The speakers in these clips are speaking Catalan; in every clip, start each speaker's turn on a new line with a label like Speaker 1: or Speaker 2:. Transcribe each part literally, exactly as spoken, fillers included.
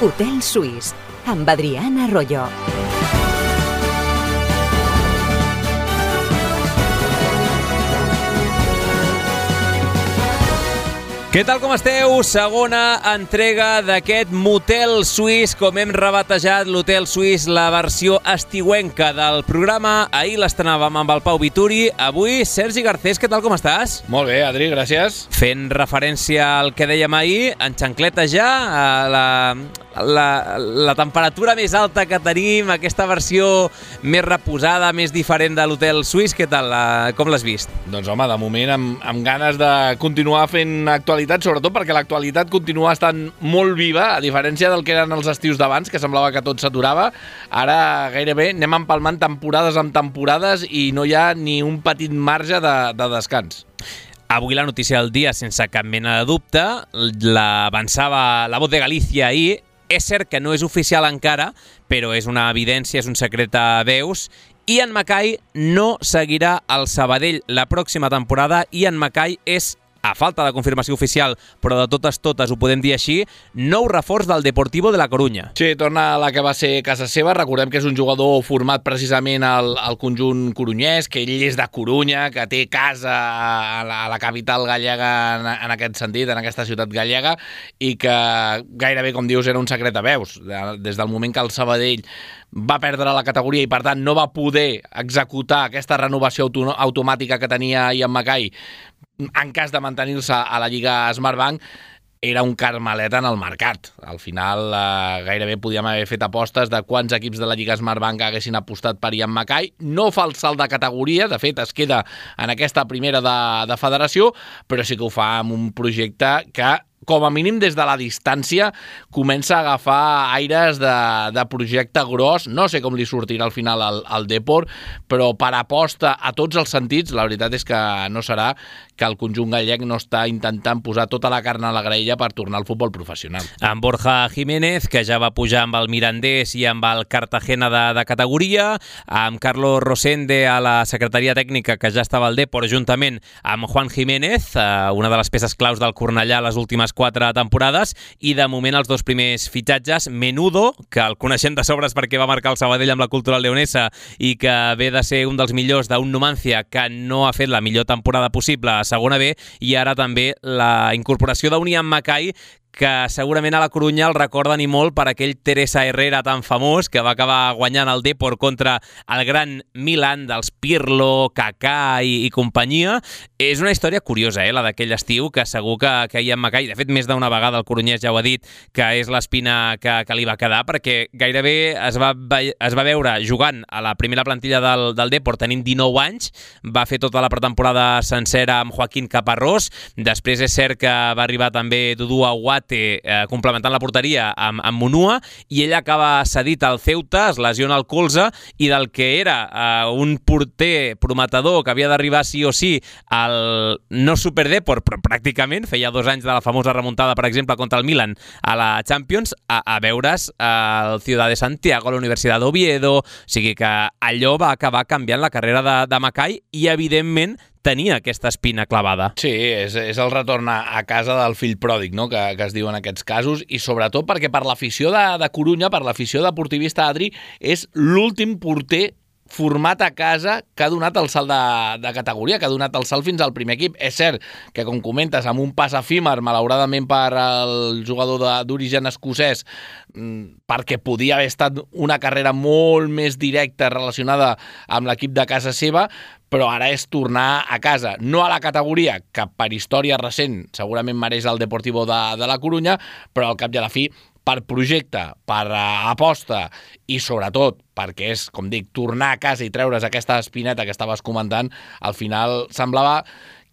Speaker 1: Hotel Suís, amb Adrián Arroyo.
Speaker 2: Què tal, com esteu? Segona entrega d'aquest Motel Suís, com hem rebatejat l'Hotel Suís, la versió estiuenca del programa. Ahir l'estrenàvem amb el Pau Vituri. Avui, Sergi Garcés, què tal, com estàs?
Speaker 3: Molt bé, Adri, gràcies.
Speaker 2: Fent referència al que dèiem ahir, en xancleta ja, a la, la, la temperatura més alta que tenim, aquesta versió més reposada, més diferent de l'Hotel Suís, què tal? Com l'has vist?
Speaker 3: Doncs home, de moment amb, amb ganes de continuar fent actualitat, sobretot perquè l'actualitat continua estant molt viva, a diferència del que eren els estius d'abans, que semblava que tot s'aturava. Ara gairebé anem empalmant temporades amb temporades i no hi ha ni un petit marge de, de descans.
Speaker 2: Avui la notícia del dia, sense cap mena de dubte, l'avançava La Voz de Galícia ahir. És cert que no és oficial encara, però és una evidència, és un secret a veus. Ian Mackay no seguirà al Sabadell la pròxima temporada. Ian Mackay és, a falta de confirmació oficial, però de totes totes ho podem dir així, nou reforç del Deportivo de la Corunya.
Speaker 3: Sí, torna a la que va ser casa seva. Recordem que és un jugador format precisament al, al conjunt corunyès, que ell és de Corunya, que té casa a la, a la capital gallega en, en aquest sentit, en aquesta ciutat gallega, i que gairebé, com dius, era un secret a veus. Des del moment que el Sabadell va perdre la categoria i, per tant, no va poder executar aquesta renovació auto- automàtica que tenia Ian Mackay en cas de mantenir-se a la Lliga Smartbank, era un carmelet en el mercat. Al final, eh, gairebé podíem haver fet apostes de quants equips de la Lliga Smartbank haguessin apostat per Ian Mackay. No fa el salt de categoria, de fet, es queda en aquesta primera de, de federació, però sí que ho fa amb un projecte que, com a mínim des de la distància, comença a agafar aires de, de projecte gros. No sé com li sortirà al final al, al Depor, però per aposta a tots els sentits, la veritat és que no serà que el conjunt gallec no està intentant posar tota la carn a la graella per tornar al futbol professional.
Speaker 2: Amb Borja Jiménez, que ja va pujar amb el Mirandés i amb el Cartagena de, de categoria, amb Carlos Rosende a la secretaria tècnica, que ja estava al Depor, juntament amb Juan Jiménez, una de les peces claus del Cornellà les últimes quatre temporades, i de moment els dos primers fitxatges, Menudo, que el coneixem de sobres perquè va marcar el Sabadell amb la Cultural Leonesa i que ve de ser un dels millors d'un Numancia que no ha fet la millor temporada possible a segona B, i ara també la incorporació d'un Ian Mackay, que segurament a la Corunya el recorden i molt per aquell Teresa Herrera tan famós que va acabar guanyant el Depor contra el gran Milan dels Pirlo, Kaká i, i companyia. És una història curiosa, eh, la d'aquell estiu, que segur que, que Ian Mackay, de fet més d'una vegada el corunyès ja ho ha dit, que és l'espina que, que li va quedar, perquè gairebé es va, es va veure jugant a la primera plantilla del, del Depor tenint dinou anys, va fer tota la pretemporada sencera amb Joaquín Caparrós, després és cert que va arribar també Dudu Aguat, Eh, complementant la porteria amb, amb Munua, i ell acaba cedit al Ceuta, es lesiona el colze, i del que era eh, un porter prometedor que havia d'arribar sí o sí al no Super Depor, però pràcticament feia dos anys de la famosa remuntada, per exemple, contra el Milan a la Champions, a, a veure's al Ciudad de Santiago, a la Universitat d'Oviedo. O sigui que allò va acabar canviant la carrera de, de Mackay, i evidentment tenia aquesta espina clavada.
Speaker 3: Sí, és, és el retorn a casa del fill pròdig, no?, que, que es diu en aquests casos, i sobretot perquè per l'afició de, de Corunya, per l'afició deportivista, Adri, és l'últim porter format a casa que ha donat el salt de, de categoria, que ha donat el salt fins al primer equip. És cert que, com comentes, amb un pas efímer, malauradament per al jugador d'origen escocès, perquè podia haver estat una carrera molt més directa relacionada amb l'equip de casa seva, però ara és tornar a casa, no a la categoria que per història recent segurament mereix el Deportivo de, de la Corunya, però al cap i a la fi, per projecte, per uh, aposta i sobretot perquè és, com dic, tornar a casa i treure's aquesta espineta que estaves comentant, al final semblava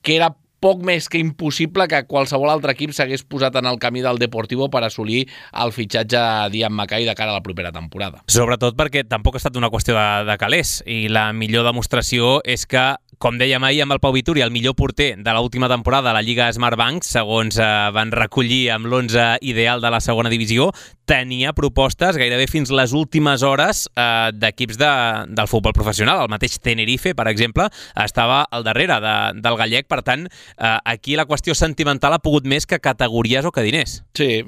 Speaker 3: que era poc més que impossible que qualsevol altre equip s'hagués posat en el camí del Deportivo per assolir el fitxatge d'Ian Mackay de cara a la propera temporada.
Speaker 2: Sobretot perquè tampoc ha estat una qüestió de, de calés, i la millor demostració és que, com dèiem ahir amb el Pau Vituri, el millor porter de l'última temporada a la Lliga Smartbank, segons eh, van recollir amb l'onze ideal de la segona divisió, tenia propostes gairebé fins les últimes hores eh, d'equips de, del futbol professional. El mateix Tenerife, per exemple, estava al darrere de, del gallec. Per tant, eh, aquí la qüestió sentimental ha pogut més que categories o que diners.
Speaker 3: Sí,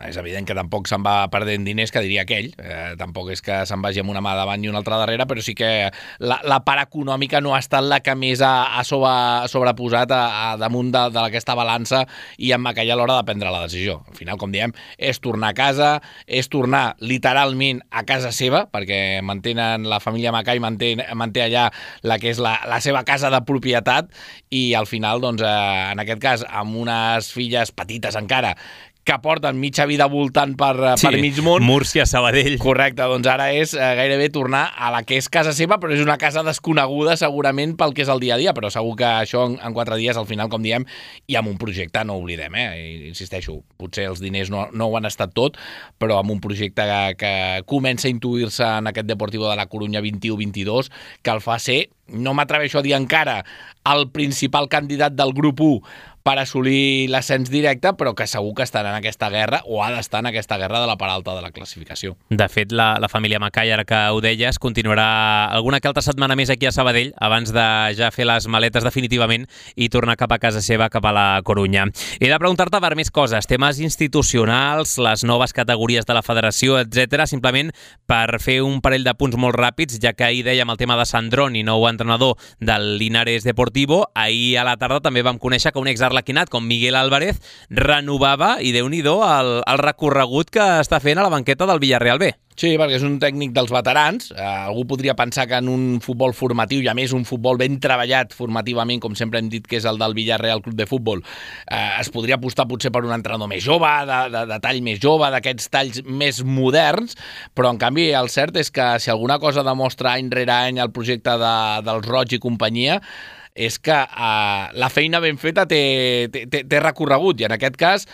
Speaker 3: és evident que tampoc se'n va perdent diners, que diria aquell. Eh, tampoc és que se'n vagi amb una mà davant i una altra darrere, però sí que la, la part econòmica no ha estat la que més ha, ha sobre, sobreposat a, a damunt de, d'aquesta balança i amb aquella a l'hora de prendre la decisió. Al final, com diem, és tornar a casa, és tornar literalment a casa seva, perquè mantenen la família Macai, manté, manté allà la que és la, la seva casa de propietat i al final, doncs, eh, en aquest cas, amb unes filles petites encara, que porten mitja vida voltant per, sí, per mig món.
Speaker 2: Múrcia, Sabadell.
Speaker 3: Correcte, doncs ara és eh, gairebé tornar a la que és casa seva, però és una casa desconeguda segurament pel que és el dia a dia, però segur que això en, en quatre dies, al final, com diem, i amb un projecte, no oblidem, eh? I, insisteixo, potser els diners no, no ho han estat tot, però amb un projecte que, que comença a intuir-se en aquest Deportivo de la Corunya vint-i-u vint-i-dos, que el fa ser, no m'atreveixo a dir encara, el principal candidat del grup u per assolir l'ascens directe, però que segur que estarà en aquesta guerra o ha d'estar en aquesta guerra de la part alta de la classificació.
Speaker 2: De fet, la, la família Macai, ara que ho deies, continuarà alguna que altra setmana més aquí a Sabadell abans de ja fer les maletes definitivament i tornar cap a casa seva, cap a la Corunya. He de preguntar-te per més coses, temes institucionals, les noves categories de la federació, etcètera, simplement per fer un parell de punts molt ràpids, ja que ahir dèiem el tema de Sandroni, nou entrenador del Linares Deportivo. Ahir a la tarda també vam conèixer que un exarlequinat com Miguel Álvarez renovava, i déu-n'hi-do, el, el recorregut que està fent a la banqueta del Villarreal B.
Speaker 3: Sí, perquè és un tècnic dels veterans. Eh, algú podria pensar que en un futbol formatiu, i a més un futbol ben treballat formativament, com sempre hem dit que és el del Villarreal Club de Futbol, eh, es podria apostar potser per un entrenador més jove, de, de, de tall més jove, d'aquests talls més moderns, però en canvi el cert és que si alguna cosa demostra any rere any el projecte de, dels Roig i companyia, és que eh, la feina ben feta té, té, té recorregut, i en aquest cas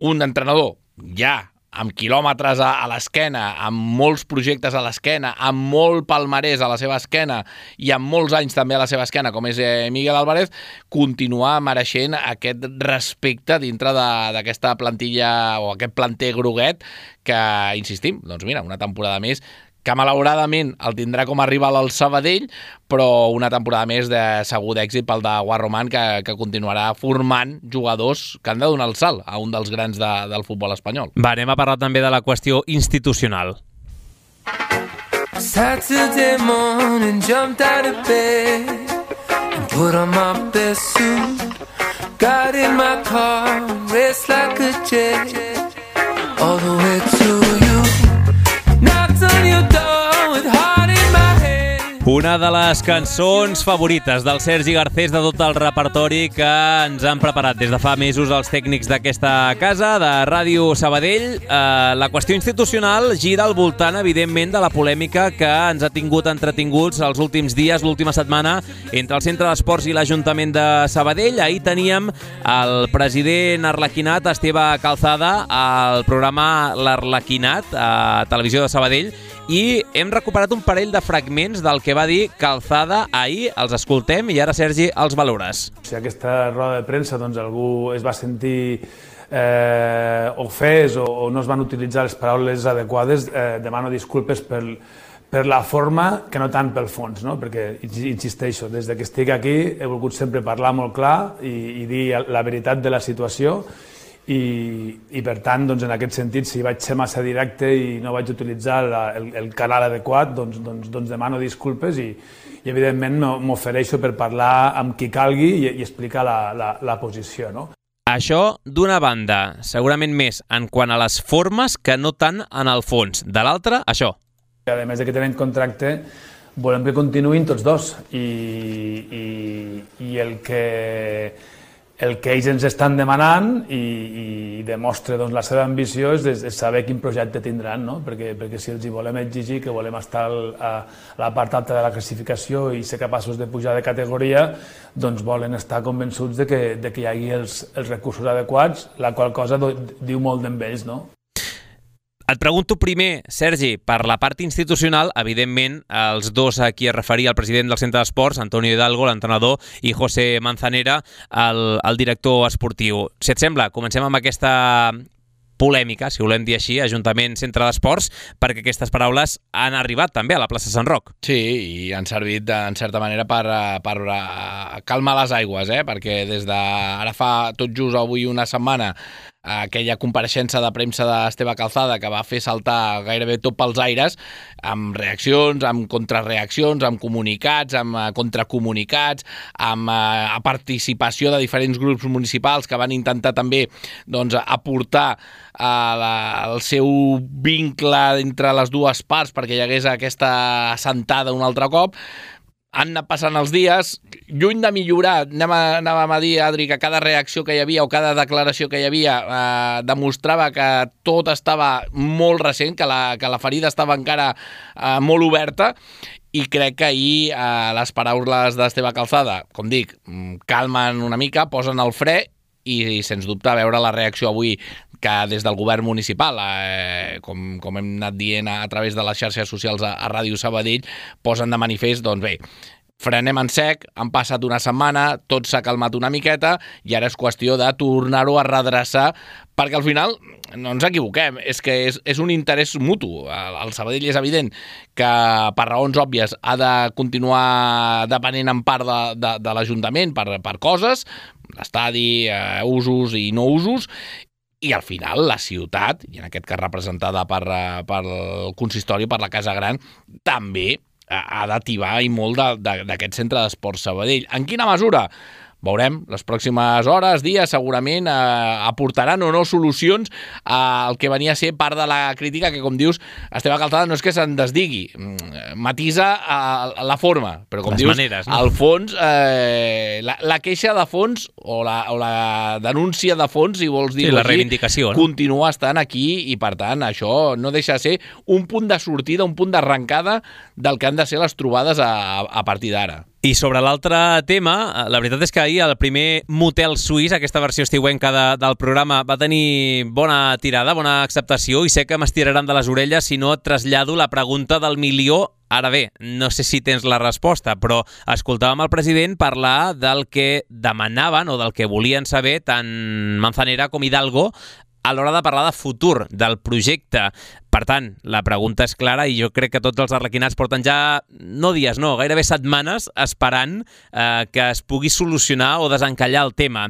Speaker 3: un entrenador ja amb quilòmetres a, a l'esquena, amb molts projectes a l'esquena, amb molt palmarès a la seva esquena i amb molts anys també a la seva esquena, com és eh, Miguel Álvarez, continuar mereixent aquest respecte dintre d'aquesta plantilla o aquest planter groguet que, insistim, doncs mira, una temporada més que malauradament el tindrà com a rival al Sabadell, però una temporada més de segur d'èxit pel de Guarromán, que, que continuarà formant jugadors que han de donar el salt a un dels grans de, del futbol espanyol.
Speaker 2: Va, anem a parlar també de la qüestió institucional.
Speaker 4: Saturday morning, jumped out of bed and put on my best suit. Got in my car, raced like a jet all the way to you. Knocked on your door with heart in my head.
Speaker 2: Una de les cançons favorites del Sergi Garcés, de tot el repertori que ens han preparat des de fa mesos els tècnics d'aquesta casa, de Ràdio Sabadell. Eh, la qüestió institucional gira al voltant, evidentment, de la polèmica que ens ha tingut entretinguts els últims dies, l'última setmana, entre el Centre d'Esports i l'Ajuntament de Sabadell. Ahir teníem el president arlequinat, Esteve Calzada, al programa L'Arlequinat, a Televisió de Sabadell, i hem recuperat un parell de fragments del que va dir Calzada ahir. Els escoltem i ara, Sergi, els valores.
Speaker 5: Si aquesta roda de premsa doncs, algú es va sentir eh, ofès o, o no es van utilitzar les paraules adequades, eh, demano disculpes per, per la forma, que no tant pel fons, no? Perquè, insisteixo, des que estic aquí he volgut sempre parlar molt clar i, i dir la veritat de la situació. I, i per tant, doncs, en aquest sentit, si vaig ser massa directe i no vaig utilitzar la, el, el canal adequat, doncs, doncs, doncs demano disculpes i, i evidentment m'ofereixo per parlar amb qui calgui i, i explicar la, la, la posició, no?
Speaker 2: Això d'una banda, segurament més en quant a les formes que no tant en el fons. De l'altra, això.
Speaker 5: A més de que tenen contracte, volem que continuïn tots dos i, i, i el que... El que ells ens estan demanant i, i demostra doncs, la seva ambició és, és saber quin projecte tindran, no? perquè, perquè si els hi volem exigir que volem estar a, a la part alta de la classificació i ser capaços de pujar de categoria, doncs volen estar convençuts de que, de que hi hagi els, els recursos adequats, la qual cosa do, diu molt d'ells, no?
Speaker 2: Et pregunto primer, Sergi, per la part institucional, evidentment, els dos a qui es referia el president del Centre d'Esports, Antonio Hidalgo, l'entrenador, i José Manzanera, el, el director esportiu. Si et sembla, comencem amb aquesta polèmica, si volem dir així, Ajuntament Centre d'Esports, perquè aquestes paraules han arribat també a la plaça Sant Roc.
Speaker 3: Sí, i han servit en certa manera per, per calmar les aigües, eh? Perquè des de ara fa tot just avui una setmana aquella compareixença de premsa d'Esteve Calzada que va fer saltar gairebé tot pels aires, amb reaccions, amb contrarreaccions, amb comunicats, amb contracomunicats, amb eh, participació de diferents grups municipals que van intentar també doncs, aportar eh, la, el seu vincle entre les dues parts perquè hi hagués aquesta assentada un altre cop. Han anat passant els dies, lluny de millorar, anàvem a, anàvem a dir, Adri, que cada reacció que hi havia o cada declaració que hi havia eh, demostrava que tot estava molt recent, que la, que la ferida estava encara eh, molt oberta, i crec que ahir eh, les paraules d'Esteve Calzada, com dic, calmen una mica, posen el fre, i, i sens dubte veure la reacció avui que des del govern municipal, eh, com, com hem anat dient a, a través de les xarxes socials a, a Ràdio Sabadell, posen de manifest, doncs bé, frenem en sec, han passat una setmana, tot s'ha calmat una miqueta i ara és qüestió de tornar-ho a redreçar, perquè al final, no ens equivoquem, és que és, és un interès mutu. El, el Sabadell és evident que per raons òbvies ha de continuar depenent en part de, de, de l'Ajuntament per, per coses, l'estadi, eh, usos i no usos, i al final la ciutat, i en aquest cas representada per, per el consistori, per la Casa Gran, també ha d'ativar i molt d'aquest centre d'esports Sabadell. En quina mesura? Veurem, les pròximes hores, dies, segurament eh, aportaran o no solucions al que venia a ser part de la crítica que, com dius, Esteve Calzada no és que se'n desdigui, matisa a la forma, però com
Speaker 2: les
Speaker 3: dius,
Speaker 2: maneres, no?
Speaker 3: al fons, eh, la, la queixa de fons o la, o la denúncia de fons, si vols dir-ho
Speaker 2: sí, la
Speaker 3: així,
Speaker 2: reivindicació, no?
Speaker 3: Continua estant aquí i, per tant, això no deixa de ser un punt de sortida, un punt d'arrencada del que han de ser les trobades a, a partir d'ara.
Speaker 2: I sobre l'altre tema, la veritat és que ahir el primer motel suís, aquesta versió estiuenca de, del programa, va tenir bona tirada, bona acceptació, i sé que m'estiraran de les orelles si no et trasllado la pregunta del milió. Ara bé, no sé si tens la resposta, però escoltàvem el president parlar del que demanaven o del que volien saber tant Manzanera com Hidalgo a l'hora de parlar de futur, del projecte. Per tant, la pregunta és clara i jo crec que tots els arlequinats porten ja, no dies, no, gairebé setmanes esperant eh, que es pugui solucionar o desencallar el tema.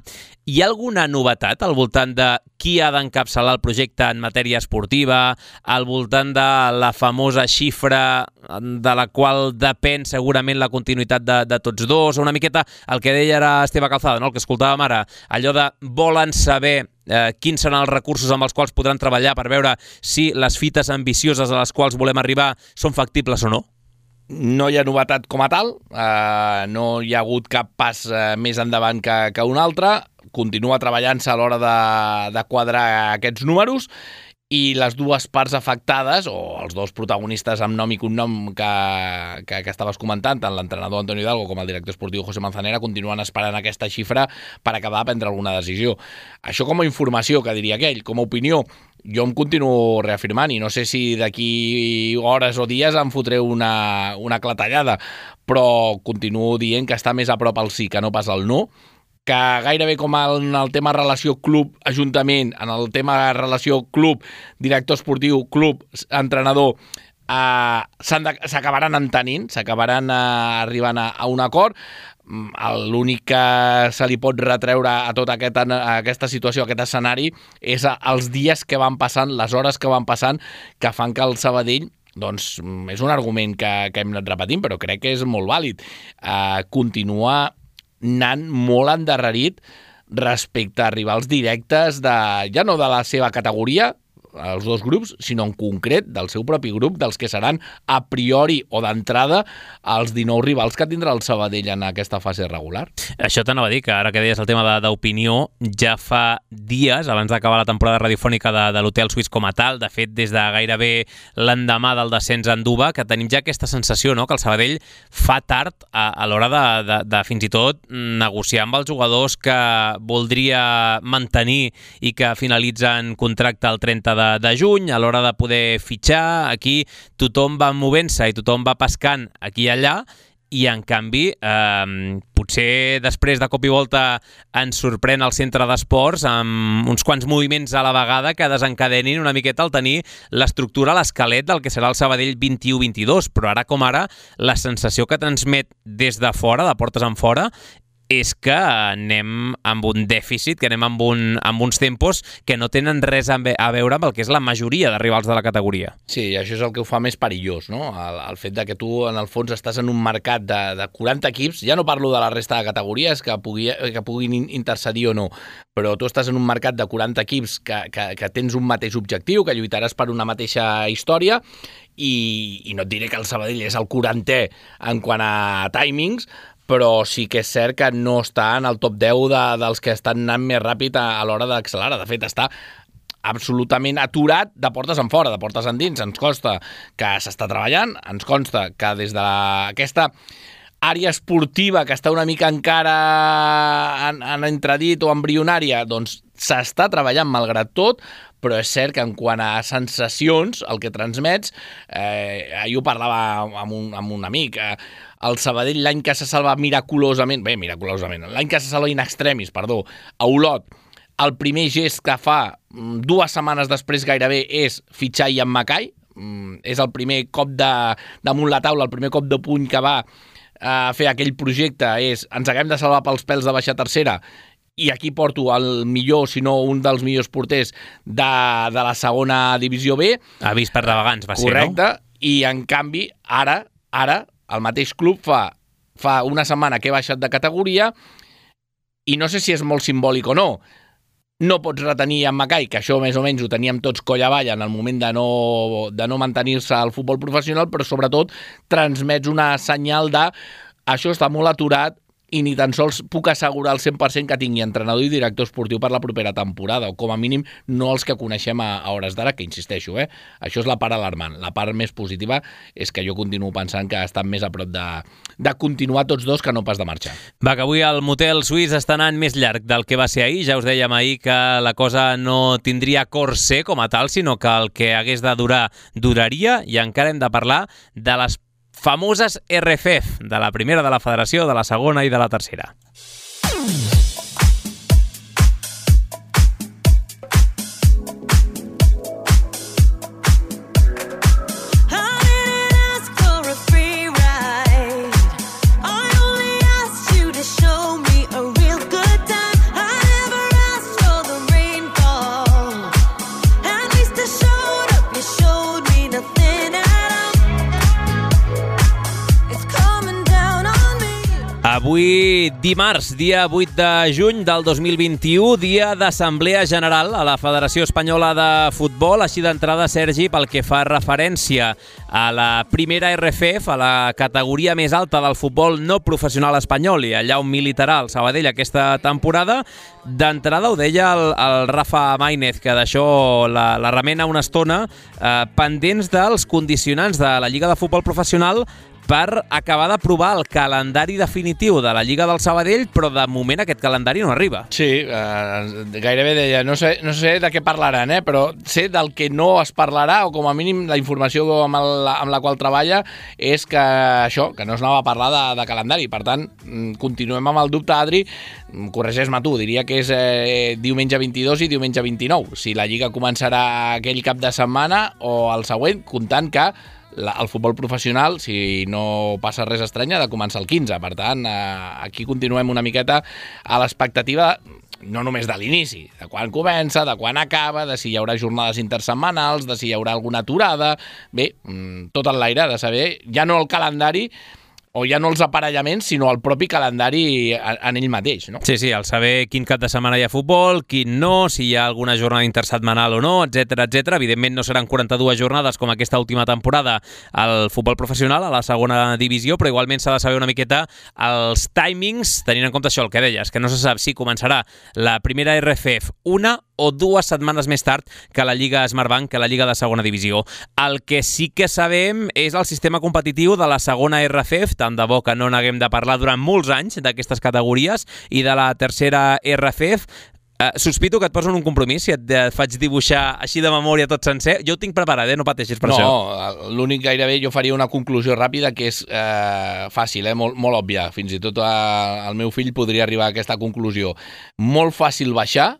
Speaker 2: Hi ha alguna novetat al voltant de qui ha d'encapçalar el projecte en matèria esportiva, al voltant de la famosa xifra de la qual depèn segurament la continuïtat de, de tots dos, o una miqueta el que deia era Esteve Calzada, no? El que escoltàvem ara, allò de volen saber eh, quins seran els recursos amb els quals podran treballar per veure si les fites ambicioses a les quals volem arribar són factibles o no?
Speaker 3: No hi ha novetat com a tal, eh, no hi ha hagut cap pas eh, més endavant que, que un altre, continua treballant-se a l'hora de, de quadrar aquests números, i les dues parts afectades, o els dos protagonistes amb nom i cognom que, que, que estaves comentant, tant l'entrenador Antonio Hidalgo com el director esportiu José Manzanera, continuen esperant aquesta xifra per acabar de prendre alguna decisió. Això com a informació, que diria aquell, com a opinió, jo em continuo reafirmant, i no sé si d'aquí hores o dies em fotré una, una clatellada, però continuo dient que està més a prop el sí que no pas el no, que gairebé com en el tema relació club-ajuntament, en el tema relació club-director esportiu, club-entrenador, eh, s'acabaran entenint, s'acabaran eh, arribant a, a un acord. L'únic que se li pot retreure a tota aquest, a aquesta situació, a aquest escenari, és els dies que van passant, les hores que van passant, que fan que el Sabadell, doncs és un argument que, que hem anat repetint, però crec que és molt vàlid, eh, continua anant molt endarrerit respecte a rivals directes de, ja no de la seva categoria, els dos grups, sinó en concret del seu propi grup, dels que seran a priori o d'entrada els dinou rivals que tindrà el Sabadell en aquesta fase regular.
Speaker 2: Això t'anava a dir, que ara que deies el tema d'opinió, ja fa dies, abans d'acabar la temporada radiofònica de, de l'Hotel Suís com a tal, de fet des de gairebé l'endemà del descens a Anduba, que tenim ja aquesta sensació, no?, que el Sabadell fa tard a, a l'hora de, de, de fins i tot negociar amb els jugadors que voldria mantenir i que finalitzen contracte el trenta de, de juny, a l'hora de poder fitxar. Aquí tothom va movent-se i tothom va pescant aquí i allà, i en canvi eh, potser després de cop i volta ens sorprèn el centre d'esports amb uns quants moviments a la vegada que desencadenin una miqueta al tenir l'estructura, l'esquelet del que serà el Sabadell vint-i-u vint-i-dos, però ara com ara la sensació que transmet des de fora, de portes en fora, és que anem amb un dèficit, que anem amb, un, amb uns tempos que no tenen res a veure amb el que és la majoria de rivals de la categoria.
Speaker 3: Sí, i això és el que ho fa més perillós, no? El, el fet de que tu, en el fons, estàs en un mercat de, de quaranta equips, ja no parlo de la resta de categories que, pugui, que puguin intercedir o no, però tu estàs en un mercat de quaranta equips que, que, que tens un mateix objectiu, que lluitaràs per una mateixa història, i, i no et diré que el Sabadell és el quarantè en quant a timings, però sí que és cert que no està en el top deu de, dels que estan anant més ràpid a, a l'hora d'accelerar. De fet, està absolutament aturat de portes en fora, de portes endins. Ens consta que s'està treballant, ens consta que des de la, aquesta àrea esportiva que està una mica encara en, en entredit o embrionària, doncs s'està treballant malgrat tot, però és cert que en quant a sensacions, el que transmets, eh, ahir ho parlava amb un, amb un amic, eh, el Sabadell l'any que se salva miraculosament, bé, miraculosament, l'any que se salva in extremis, perdó, a Olot, el primer gest que fa dues setmanes després gairebé és fitxar Ian Mackay, és el primer cop de, damunt la taula, el primer cop de puny que va a fer aquell projecte, és ens haguem de salvar pels pèls de baixar tercera, i aquí porto el millor, si no un dels millors porters de, de la segona divisió B.
Speaker 2: Avís per navegants va ser, no?
Speaker 3: Correcte, i en canvi, ara, ara, el mateix club fa, fa una setmana que he baixat de categoria i no sé si és molt simbòlic o no. No pots retenir en Mackay, que això més o menys ho teníem tots coll avall en el moment de no, de no mantenir-se al futbol professional, però sobretot transmets una senyal de això està molt aturat i ni tan sols puc assegurar al cent per cent que tingui entrenador i director esportiu per la propera temporada, o com a mínim no els que coneixem a, a hores d'ara, que insisteixo, eh? Això és la part alarmant. La part més positiva és que jo continuo pensant que estan més a prop de, de continuar tots dos que no pas de marxar.
Speaker 2: Va, que avui el motel suís està anant més llarg del que va ser ahir. Ja us dèiem ahir que la cosa no tindria corser com a tal, sinó que el que hagués de durar, duraria, i encara hem de parlar de les famoses R F F, de la primera, de la federació, de la segona i de la tercera. Avui, dimarts, dia vuit de juny del dos mil vint-i-u, dia d'Assemblea General a la Federació Espanyola de Futbol. Així d'entrada, Sergi, pel que fa referència a la primera R F F, a la categoria més alta del futbol no professional espanyol i allà on militarà el Sabadell aquesta temporada, d'entrada ho deia el, el Rafa Maínez, que d'això la, la remena una estona, eh, pendents dels condicionants de la Lliga de Futbol Professional per acabar d'aprovar el calendari definitiu de la Lliga del Sabadell, però de moment aquest calendari no arriba.
Speaker 3: Sí, eh, gairebé deia, no sé, no sé de què parlaran, eh, però sé del que no es parlarà, o com a mínim la informació amb, el, amb la qual treballa és que això, que no es anava a parlar de, de calendari. Per tant, continuem amb el dubte, Adri, corregeix-me tu, diria que és eh, diumenge vint-i-dos i diumenge vint-i-nou. Si la Lliga començarà aquell cap de setmana o el següent, comptant que La, el futbol professional, si no passa res estrany, ha de començar el quinze. Per tant, eh, aquí continuem una miqueta a l'expectativa, no només de l'inici, de quan comença, de quan acaba, de si hi haurà jornades intersetmanals, de si hi haurà alguna aturada. Bé, tot en l'aire, de saber ja no el calendari, o ja no els aparellaments, sinó el propi calendari en ell mateix, no?
Speaker 2: Sí, sí, el saber quin cap de setmana hi ha futbol, quin no, si hi ha alguna jornada intersetmanal o no, etcètera, etcètera. Evidentment no seran quaranta-dues jornades com aquesta última temporada al futbol professional, a la segona divisió, però igualment s'ha de saber una miqueta els timings, tenint en compte això, el que deies, que no se sap si començarà la primera R F F una o dues setmanes més tard que la Lliga Smartbank, que la Lliga de segona divisió. El que sí que sabem és el sistema competitiu de la segona R F F, tant de bo que no n'haguem de parlar durant molts anys d'aquestes categories, i de la tercera R F F. Uh, sospito que et posen un compromís si et, et faig dibuixar així de memòria tot sencer. Jo ho tinc preparat, eh? No pateixis per
Speaker 3: no,
Speaker 2: això.
Speaker 3: No, l'únic gairebé jo faria una conclusió ràpida que és eh, fàcil, eh? molt, molt òbvia. Fins i tot eh, el meu fill podria arribar a aquesta conclusió. Molt fàcil baixar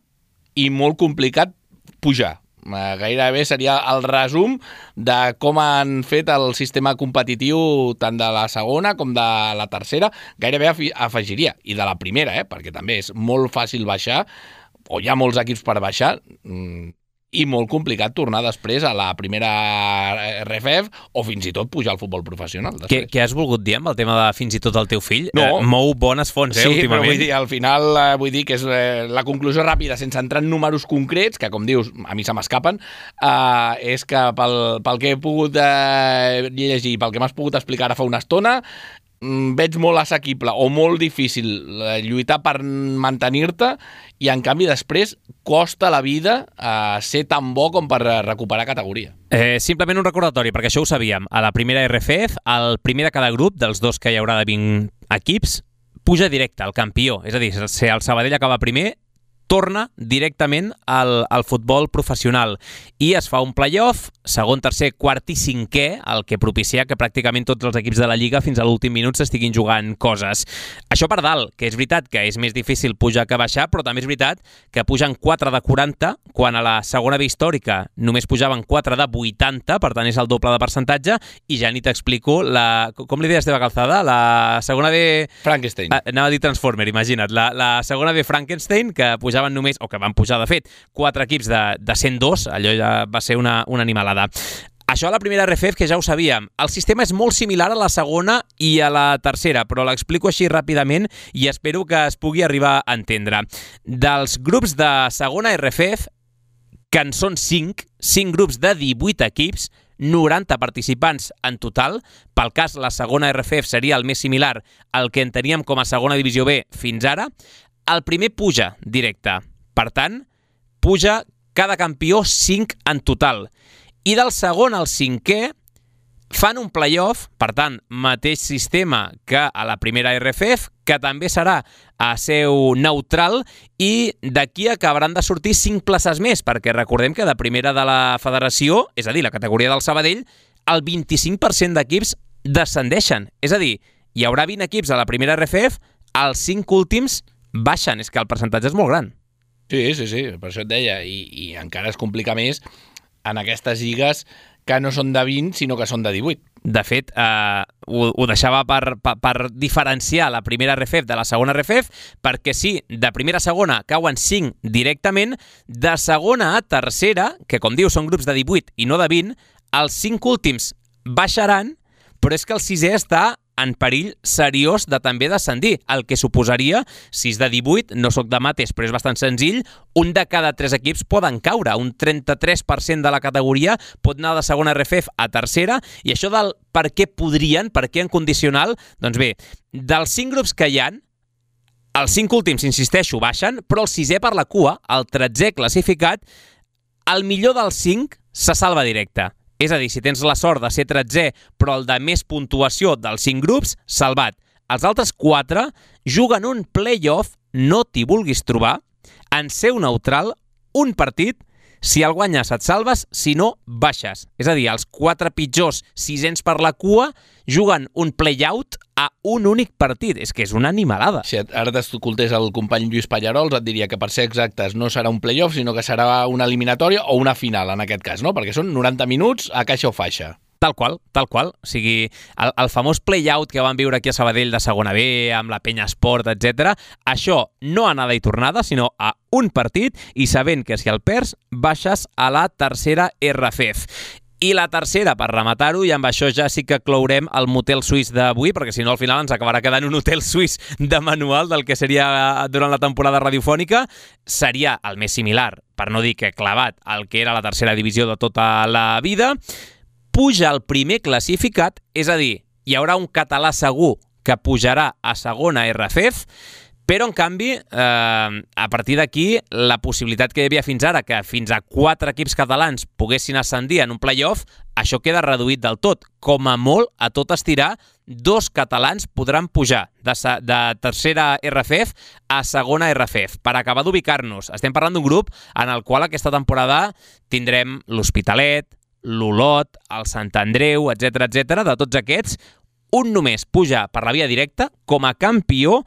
Speaker 3: i molt complicat pujar. Eh, gairebé seria el resum de com han fet el sistema competitiu tant de la segona com de la tercera. Gairebé afegiria, i de la primera, eh? Perquè també és molt fàcil baixar, o hi ha molts equips per baixar, i molt complicat tornar després a la primera R F F o fins i tot pujar al futbol professional.
Speaker 2: Què, què has volgut dir amb el tema de fins i tot el teu fill?
Speaker 3: No.
Speaker 2: Eh, mou bones fonts, eh,
Speaker 3: sí,
Speaker 2: últimament.
Speaker 3: Sí, però vull dir, al final eh, vull dir que és eh, la conclusió ràpida, sense entrar en números concrets, que com dius, a mi se m'escapen, eh, és que pel, pel que he pogut eh, llegir, pel que m'has pogut explicar ara fa una estona, veig molt assequible o molt difícil lluitar per mantenir-te i en canvi després costa la vida eh, ser tan bo com per recuperar categoria.
Speaker 2: Eh, simplement un recordatori, perquè això ho sabíem. A la primera R F F, el primer de cada grup, dels dos que hi haurà de vint equips, puja directe, el campió. És a dir, si el Sabadell acaba primer, torna directament al, al futbol professional i es fa un play-off, segon, tercer, quart i cinquè, el que propicia que pràcticament tots els equips de la Lliga fins a l'últim minut s'estiguin jugant coses. Això per dalt, que és veritat que és més difícil pujar que baixar, però també és veritat que pugen quatre de quaranta, quan a la segona B històrica només pujaven quatre de vuitanta, per tant és el doble de percentatge, i ja ni t'explico la... Com li deies, Esteve Calzada? La segona B...
Speaker 3: Frankenstein.
Speaker 2: Ah, anava a dir Transformer, imagina't. La, la segona B Frankenstein, que pujaven només, o que van pujar, de fet, quatre equips de, de cent dos, allò ja va ser una, una animalada. Això a la primera R F F, que ja ho sabíem. El sistema és molt similar a la segona i a la tercera, però l'explico així ràpidament i espero que es pugui arribar a entendre. Dels grups de segona R F F, que en són cinc, cinc grups de divuit equips, noranta participants en total. Pel cas, la segona R F F seria el més similar al que en teníem com a segona divisió B fins ara. El primer puja directe. Per tant, puja cada campió cinc en total. I del segon al cinquè fan un play-off, per tant, mateix sistema que a la primera R F F, que també serà a seu neutral, i d'aquí acabaran de sortir cinc places més, perquè recordem que de primera de la federació, és a dir, la categoria del Sabadell, el vint-i-cinc per cent d'equips descendeixen. És a dir, hi haurà vint equips a la primera R F F, els cinc últims baixen. És que el percentatge és molt gran.
Speaker 3: Sí, sí, sí, per això et deia, i, i encara es complica més en aquestes lligues que no són de vint, sinó que són de divuit.
Speaker 2: De fet, eh, ho, ho deixava per, per, per diferenciar la primera R F F de la segona R F F, perquè sí, de primera a segona cauen cinc directament, de segona a tercera, que com diu són grups de divuit i no de vint, els cinc últims baixaran, però és que el sisè està en perill seriós de també descendir, el que suposaria, sis de divuit, no sóc de mates, però és bastant senzill, un de cada tres equips poden caure, un trenta-tres per cent de la categoria pot anar de segona R F F a tercera, i això del per què podrien, per què en condicional, doncs bé, dels cinc grups que hi ha, els cinc últims, insisteixo, baixen, però el sisè per la cua, el tretzè classificat, el millor dels cinc se salva directe. És a dir, si tens la sort de ser tretzè, però el de més puntuació dels cinc grups, salvat. Els altres quatre juguen un play-off, no t'hi vulguis trobar, en seu neutral, un partit, si el guanyes et salves, si no, baixes. És a dir, els quatre pitjors sisens per la cua juguen un play-out a un únic partit. És que és una animalada.
Speaker 3: Si ara t'escoltés el company Lluís Pallarols, et diria que per ser exactes no serà un play-off, sinó que serà una eliminatòria o una final, en aquest cas, no? Perquè són noranta minuts a caixa o faixa.
Speaker 2: Tal qual, tal qual. O sigui, el, el famós play-out que van viure aquí a Sabadell de segona B, amb la Penya Esport, etcètera, això no anada i tornada, sinó a un partit, i sabent que si el perds, baixes a la tercera R F F. I la tercera, per rematar-ho, i amb això ja sí que clourem el motel suís d'avui, perquè si no al final ens acabarà quedant un hotel suís de manual del que seria durant la temporada radiofònica, seria el més similar, per no dir que clavat, al que era la tercera divisió de tota la vida. Puja el primer classificat, és a dir, hi haurà un català segur que pujarà a segona R F F, Però, en canvi, eh, a partir d'aquí, la possibilitat que hi havia fins ara, que fins a quatre equips catalans poguessin ascendir en un play-off, això queda reduït del tot. Com a molt, a tot estirar, dos catalans podran pujar de, de tercera R F F a segona R F F. Per acabar d'ubicar-nos, estem parlant d'un grup en el qual aquesta temporada tindrem l'Hospitalet, l'Olot, el Sant Andreu, etcètera, etcètera. De tots aquests, un només puja per la via directa com a campió.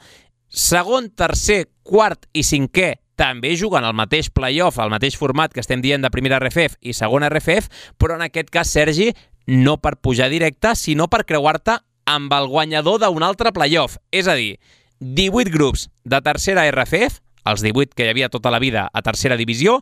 Speaker 2: Segon, tercer, quart i cinquè també juguen al mateix play-off, al mateix format que estem dient de primera R F F i segona R F F, però en aquest cas, Sergi, no per pujar directe, sinó per creuar-te amb el guanyador d'un altre play-off. És a dir, divuit grups de tercera R F F, els divuit que hi havia tota la vida a tercera divisió,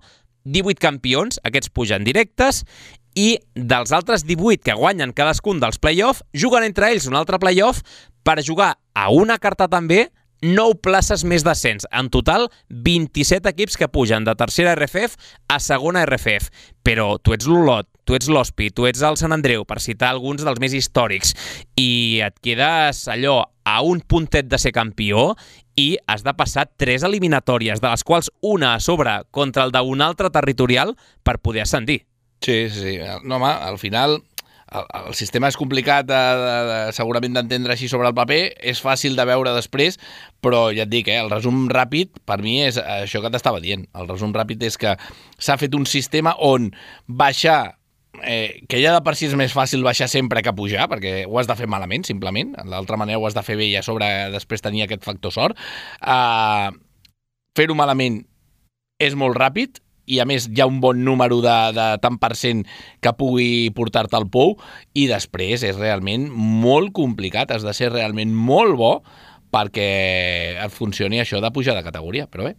Speaker 2: divuit campions, aquests pugen directes, i dels altres divuit que guanyen cadascun dels play-off, juguen entre ells un altre play-off per jugar a una carta també nou places més d'ascens. En total, vint-i-set equips que pugen de tercera R F F a segona R F F. Però tu ets l'Olot, tu ets l'Hospi, tu ets el Sant Andreu, per citar alguns dels més històrics, i et quedes allò a un puntet de ser campió i has de passar tres eliminatòries, de les quals una a sobre contra el d'un altre territorial per poder ascendir.
Speaker 3: Sí, sí. No, home, al final el, el sistema és complicat de, de, de, segurament d'entendre així sobre el paper, és fàcil de veure després, però ja et dic, eh, el resum ràpid per mi és això que t'estava dient. El resum ràpid és que s'ha fet un sistema on baixar, eh, que ja de per si és més fàcil baixar sempre que pujar, perquè ho has de fer malament, simplement, d'altra manera ho has de fer bé i a sobre després tenir aquest factor sort. Uh, fer-ho malament és molt ràpid, i a més hi ha un bon número de, de tant per cent que pugui portar-te al pou, i després és realment molt complicat, has de ser realment molt bo perquè et funcioni això de pujar de categoria. Però bé,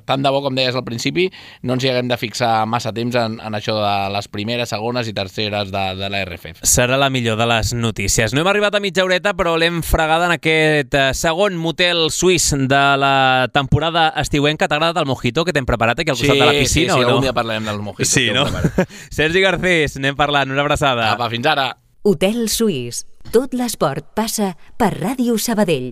Speaker 3: tant de bo, com deies al principi, no ens hi haguem de fixar massa temps en, en això de les primeres, segones i terceres de, de la R F F.
Speaker 2: Serà la millor de les notícies. No hem arribat a mitja horeta, però l'hem fregada en aquest segon motel suís de la temporada estiuenca. T'ha agradat el mojito que t'hem preparat aquí al costat
Speaker 3: sí,
Speaker 2: de la piscina,
Speaker 3: sí, sí,
Speaker 2: o no?
Speaker 3: algun dia parlarem del mojito.
Speaker 2: Sí, no? Sergi Garcés, anem parlant. Una abraçada.
Speaker 3: Apa, fins ara.
Speaker 1: Hotel Suís. Tot l'esport passa per Ràdio Sabadell.